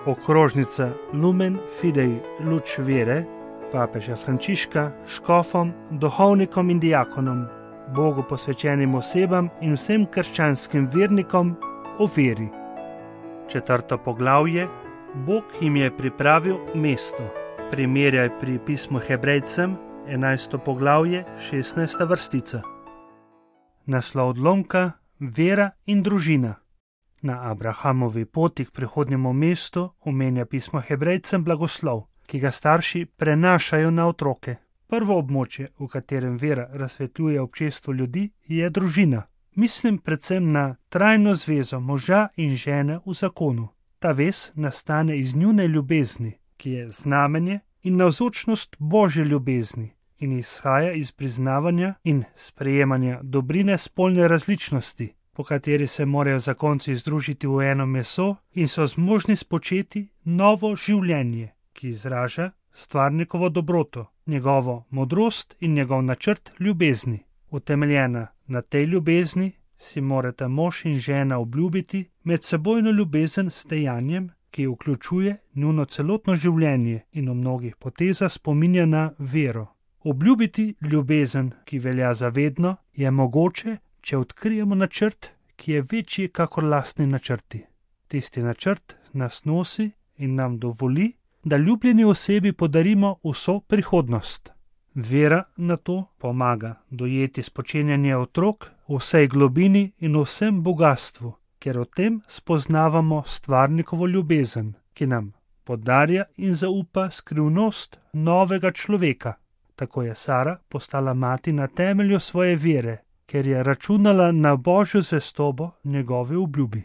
okrožnica Lumen Fidei Luč vere papeža Frančiška škofom, duhovnikom in diakonom, Bogu posvečenim osebam in vsem krščanskim vernikom o veri. 4. poglavje. Bog jim je pripravil mesto. Primerjaj pri pismu Hebrejcem, 11. poglavje, 16. vrstica. Naslov odlomka: Vera in družina. Na Abrahamovi poti k prihodnjemu mestu omenja pismo Hebrejcem blagoslov, ki ga starši prenašajo na otroke. Prvo območje, v katerem vera razsvetljuje občestvo ljudi, je družina. Mislim predvsem na trajno zvezo moža in žene v zakonu. Ta vez nastane iz njune ljubezni, ki je znamenje in navzočnost Božje ljubezni in izhaja iz priznavanja in sprejemanja dobrine spolne različnosti, po kateri se morajo zakonci združiti v eno meso in so zmožni spočeti novo življenje, ki izraža stvarnikovo dobroto, njegovo modrost in njegov načrt ljubezni. Utemeljena na tej ljubezni si morata mož in žena obljubiti medsebojno ljubezen s dejanjem, ki vključuje njuno celotno življenje in v mnogih potezah spominja na vero. Obljubiti ljubezen, ki velja za vedno, je mogoče, če odkrijemo načrt, ki je večji kakor lastni načrti. Tisti načrt nas nosi in nam dovoli, da ljubljeni osebi podarimo vso prihodnost. Vera na to pomaga dojeti spočenjanje otrok v vsej globini in vsem bogastvu, ker o tem spoznavamo stvarnikovo ljubezen, ki nam podarja in zaupa skrivnost novega človeka. Tako je Sara postala mati na temelju svoje vere, ker je računala na Božjo zvestobo njegove obljubi.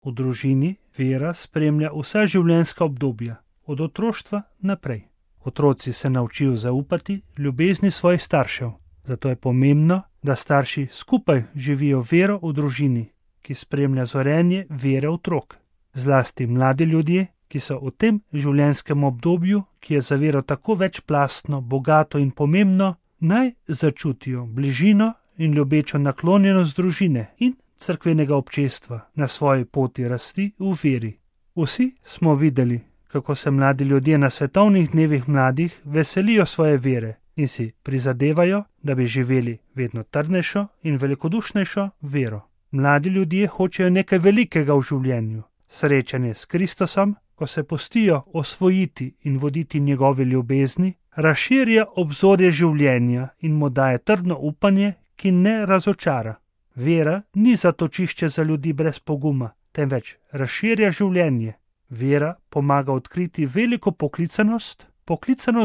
V družini vera spremlja vsa življenjska obdobja, od otroštva naprej. Otroci se naučijo zaupati ljubezni svojih staršev, zato je pomembno, da starši skupaj živijo vero v družini, ki spremlja zorenje vere otrok. Zlasti mladi ljudje, ki so v tem življenjskem obdobju, ki je za vero tako večplastno, bogato in pomembno, naj začutijo bližino in ljubečo naklonjenost družine in cerkvenega občestva na svoji poti rasti v veri. Vsi smo videli, kako se mladi ljudje na svetovnih dnevih mladih veselijo svoje vere in si prizadevajo, da bi živeli vedno trdnejšo in velikodušnejšo vero. Mladi ljudje hočejo nekaj velikega v življenju, srečanje s Kristusom, ko se pustijo osvojiti in voditi njegove ljubezni, razširja obzorje življenja in mu daje trdno upanje, ki ne razočara. Vera ni zatočišče za ljudi brez poguma, temveč razširja življenje. Vera pomaga odkriti veliko poklicanost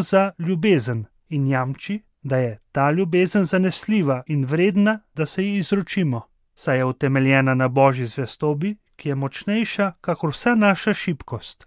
za ljubezen in jamči, da je ta ljubezen zanesljiva in vredna, da se ji izročimo, saj je utemeljena na Božji zvestobi, ki je močnejša kakor vsa naša šibkost.